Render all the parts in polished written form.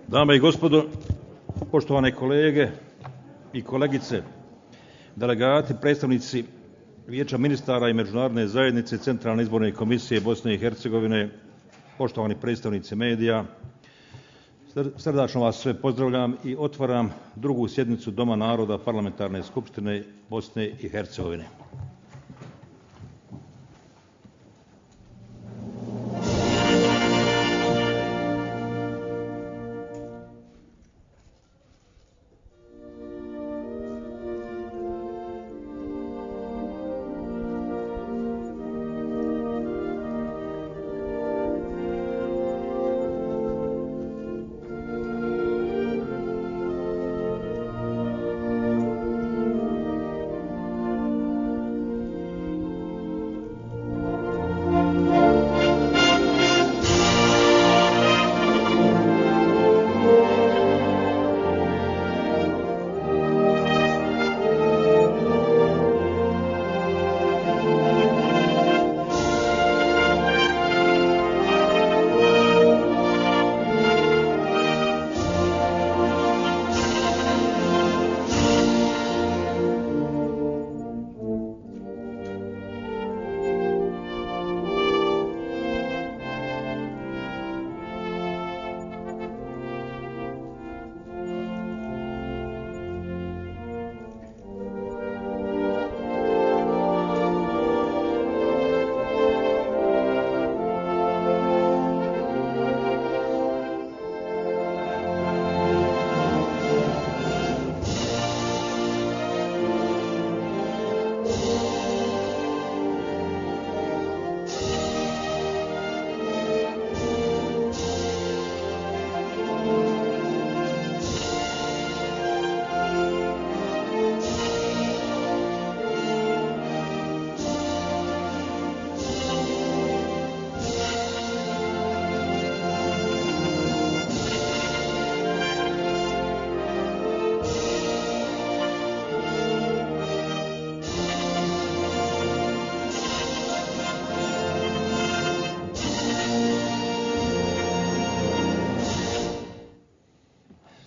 Dame i gospodo, poštovane kolege i kolegice, delegati, predstavnici Vijeća ministara i Međunarodne zajednice Centralne izborne komisije Bosne i Hercegovine, poštovani predstavnici medija, srdačno vas sve pozdravljam i otvaram drugu sjednicu Doma naroda Parlamentarne skupštine Bosne i Hercegovine.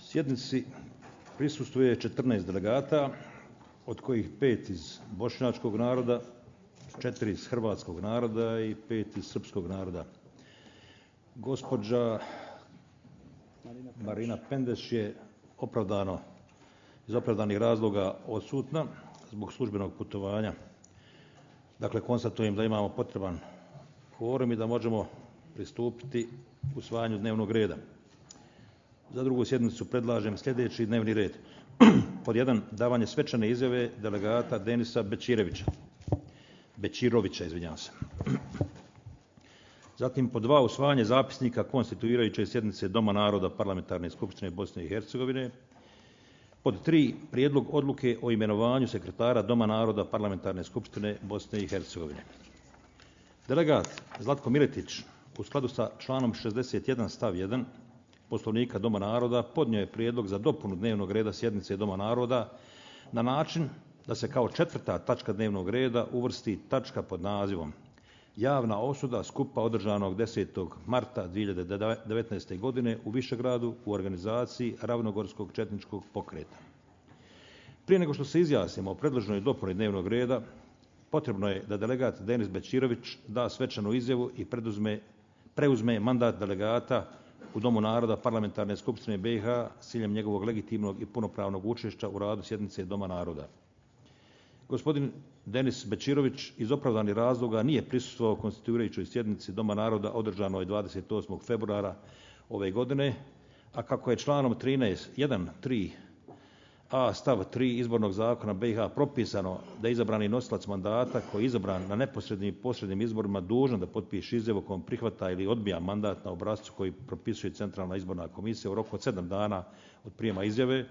Sjednici prisustvuje 14 delegata, od kojih 5 iz bošnjačkog naroda, 4 iz hrvatskog naroda i 5 iz srpskog naroda. Gospođa Marina Pendeš je iz opravdanih razloga odsutna zbog službenog putovanja. Dakle, konstatujem da imamo potreban kvorum i da možemo pristupiti usvajanju dnevnog reda. Za drugu sjednicu predlažem sljedeći dnevni red. Pod 1. Davanje svečane izjave delegata Denisa Bećirovića. Zatim pod 2. Usvajanje zapisnika konstituirajuće sjednice Doma naroda Parlamentarne skupštine Bosne i Hercegovine. Pod 3. Prijedlog odluke o imenovanju sekretara Doma naroda Parlamentarne skupštine Bosne i Hercegovine. Delegat Zlatko Miletić u skladu sa članom 61 stav 1 Poslovnika Doma naroda podnio je prijedlog za dopunu dnevnog reda sjednice Doma naroda na način da se kao 4. tačka dnevnog reda uvrsti tačka pod nazivom Javna osuda skupa održanog 10. marta 2019. godine u Višegradu u organizaciji Ravnogorskog četničkog pokreta. Prije nego što se izjasnimo o predloženoj dopuni dnevnog reda, potrebno je da delegat Denis Bećirović da svečanu izjavu i preuzme mandat delegata u Domu naroda Parlamentarne skupštine BiH s ciljem njegovog legitimnog i punopravnog učešća u radu sjednice Doma naroda. Gospodin Denis Bećirović iz opravdanih razloga nije prisustvovao konstituirajućoj sjednici Doma naroda održanoj 28. februara ove godine, a kako je članom 1.3a stav 3 izbornog zakona BiH propisano da je izabrani nosilac mandata koji je izabran na neposrednim i posrednim izborima dužan da potpiše izjavu kojom prihvata ili odbija mandat na obrascu koji propisuje Centralna izborna komisija u roku od 7 dana od prijema izjave,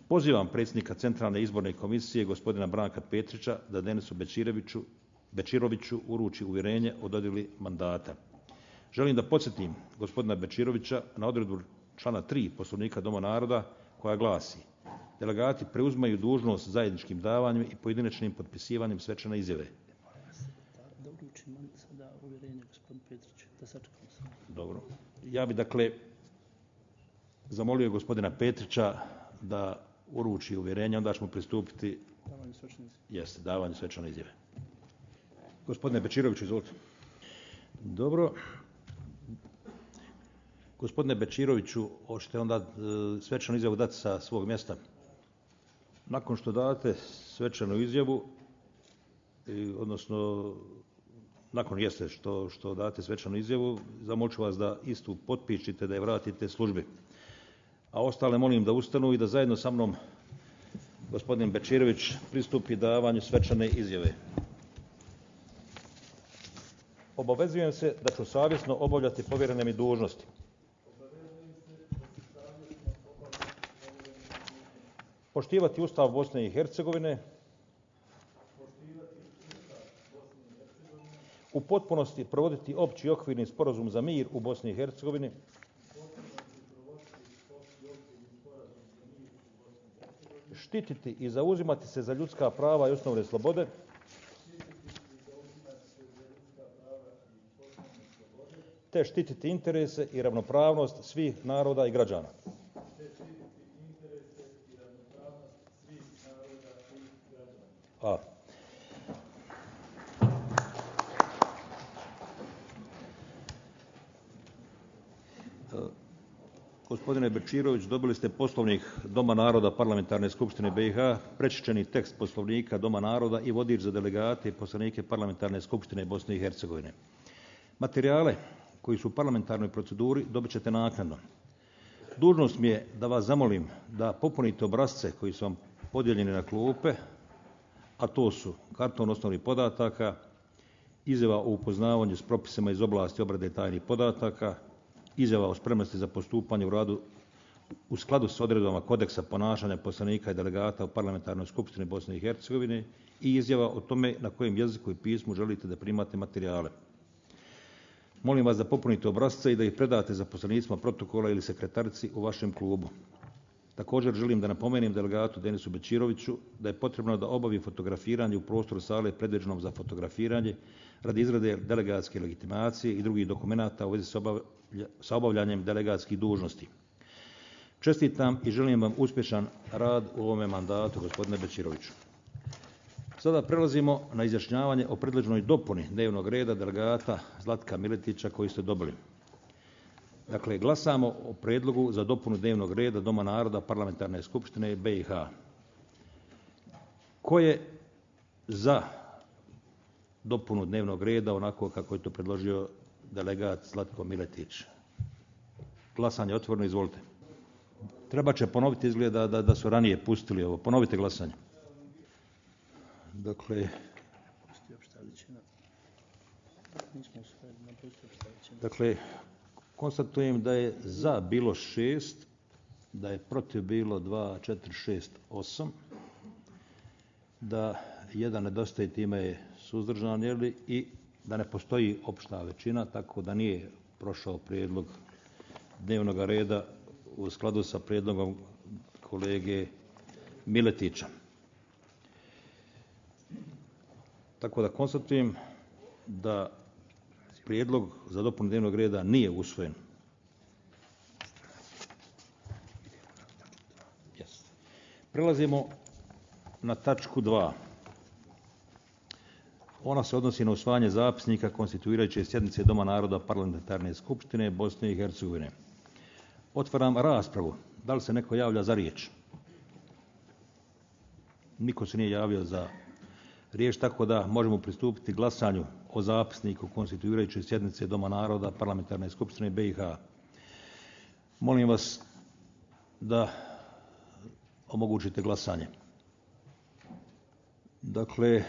pozivam predsjednika Centralne izborne komisije gospodina Branka Petrića da Denisu Bećiroviću uruči uvjerenje o dodjeli mandata. Želim da podsjetim gospodina Bećirovića na odredbu člana 3 Poslovnika Doma naroda koja glasi: delegati preuzimaju dužnost zajedničkim davanjem i pojedinačnim potpisivanjem svečane izjave. Da uručim sada uvjerenje gospodinu Petriću, da sačekamo se. Dobro. Ja bi dakle zamolio gospodina Petrića da uruči uvjerenje, onda ćemo pristupiti davanju svečane izjave. Gospodine Bečiroviću, izvolite. Dobro. Gospodine Bečiroviću, hoćete onda svečanu izjavu dati sa svog mjesta? Nakon što date svečanu izjavu, odnosno nakon što date svečanu izjavu, zamolit ću vas da istu potpišite, da je vratite službi. A ostale molim da ustanu i da zajedno sa mnom gospodin Bečirović pristupi davanju svečane izjave. Obavezujem se da ću savjesno obavljati povjerene mi dužnosti. Poštivati Ustav Bosne i Hercegovine. U potpunosti provoditi opći okvirni sporazum za mir u Bosni i Hercegovini. Štititi i zauzimati se za ljudska prava i osnovne slobode. Te štititi interese i ravnopravnost svih naroda i građana. A. Gospodine Bečirović, dobili ste Poslovnik Doma naroda Parlamentarne skupštine BiH, prečišćeni tekst Poslovnika Doma naroda i vodič za delegate i poslanike Parlamentarne skupštine Bosne i Hercegovine. Materijale koji su u parlamentarnoj proceduri dobit ćete naknadno. Dužnost mi je da vas zamolim da popunite obrasce koji su vam podijeljeni na klupe, a to su karton osnovnih podataka, izjava o upoznavanju s propisima iz oblasti obrade tajnih podataka, izjava o spremnosti za postupanje u radu u skladu s odredbama kodeksa ponašanja poslanika i delegata u Parlamentarnoj skupštini Bosne i Hercegovine i izjava o tome na kojem jeziku i pismu želite da primate materijale. Molim vas da popunite obrasce i da ih predate zaposlenicima protokola ili sekretarici u vašem klubu. Također želim da napomenem delegatu Denisu Bečiroviću da je potrebno da obavi fotografiranje u prostoru sale predviđenom za fotografiranje radi izrade delegatske legitimacije i drugih dokumenata u vezi sa obavljanjem delegatskih dužnosti. Čestitam i želim vam uspješan rad u ovome mandatu, gospodine Bečiroviću. Sada prelazimo na izjašnjavanje o predloženoj dopuni dnevnog reda delegata Zlatka Miletića koji ste dobili. Dakle, glasamo o predlogu za dopunu dnevnog reda Doma naroda Parlamentarne skupštine BiH. Ko je za dopunu dnevnog reda onako kako je to predložio delegat Zlatko Miletić? Glasanje je otvoreno, izvolite. Treba će ponoviti, izgleda da su ranije pustili ovo. Ponovite glasanje. Dakle, konstatujem da je za bilo 6, da je protiv bilo 2, 4, 6, 8, da jedan nedostaje, time je suzdržan, i da ne postoji opšta većina, tako da nije prošao prijedlog dnevnog reda u skladu sa prijedlogom kolege Miletića. Tako da konstatujem da prijedlog za dopunu dnevnog reda nije usvojen. Prelazimo na tačku 2. Ona se odnosi na usvajanje zapisnika konstituirajuće sjednice Doma naroda Parlamentarne skupštine Bosne i Hercegovine. Otvaram raspravu. Da li se neko javlja za riječ? Niko se nije javio za riječ, tako da možemo pristupiti glasanju o zapisniku konstituirajuće sjednice Doma naroda Parlamentarne skupštine BiH. Molim vas da omogućite glasanje. Dakle,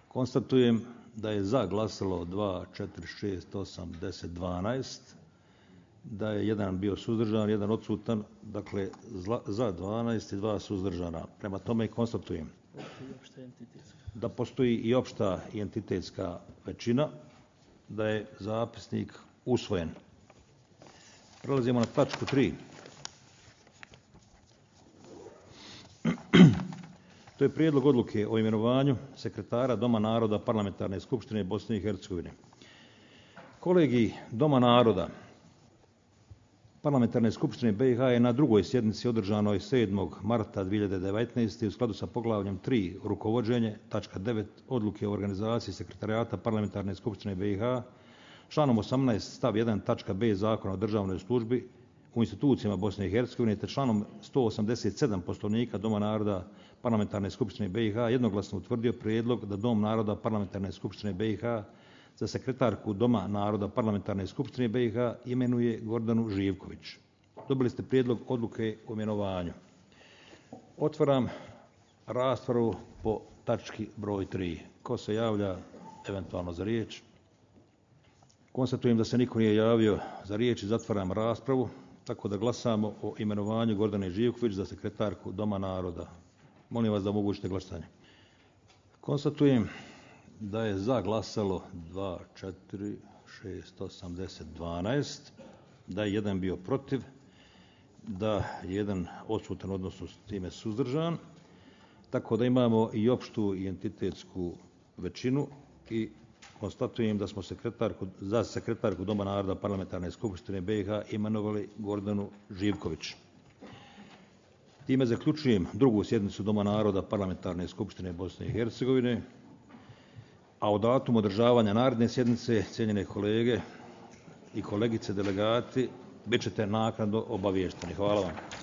konstatujem da je za glasalo 2, 4, 6, 8, 10, 12, da je jedan bio suzdržan, jedan odsutan, dakle za 12 i 2 suzdržana. Prema tome konstatujem da postoji i opšta i entitetska većina, da je zapisnik usvojen. Prelazimo na tačku 3. To je prijedlog odluke o imenovanju sekretara Doma naroda Parlamentarne skupštine Bosne i Hercegovine. Kolegij Doma naroda Parlamentarne skupštine BiH je na drugoj sjednici održanoj 7. marta 2019. u skladu sa poglavljem 3 rukovođenje, tačka 9 odluke o organizaciji sekretarijata Parlamentarne skupštine BiH, članom 18 stav 1 tačka b Zakona o državnoj službi u institucijama Bosne i Hercegovine te članom 187 Poslovnika Doma naroda Parlamentarne skupštine BiH jednoglasno utvrdio prijedlog da Dom naroda Parlamentarne skupštine BiH za sekretarku Doma naroda Parlamentarne skupštine BiH imenuje Gordanu Živković. Dobili ste prijedlog odluke o imenovanju. Otvaram raspravu po tački broj 3. Ko se javlja eventualno za riječ? Konstatujem da se niko nije javio za riječ i zatvaram raspravu, tako da glasamo o imenovanju Gordane Živković za sekretarku Doma naroda. Molim vas da omogućite glasanje. Konstatujem da je za glasalo 2, 4, 6, 8, 10, 12, da je jedan bio protiv, da je jedan odsutan, odnosno s time suzdržan, tako da imamo i opštu i entitetsku većinu i konstatujem da smo za sekretarku Doma naroda Parlamentarne skupštine BiH imenovali Gordanu Živković. Time zaključujem drugu sjednicu Doma naroda Parlamentarne skupštine Bosne i Hercegovine, a o datumu održavanja naredne sjednice, cijenjene kolege i kolegice delegati, bit ćete naknadno obaviješteni. Hvala vam.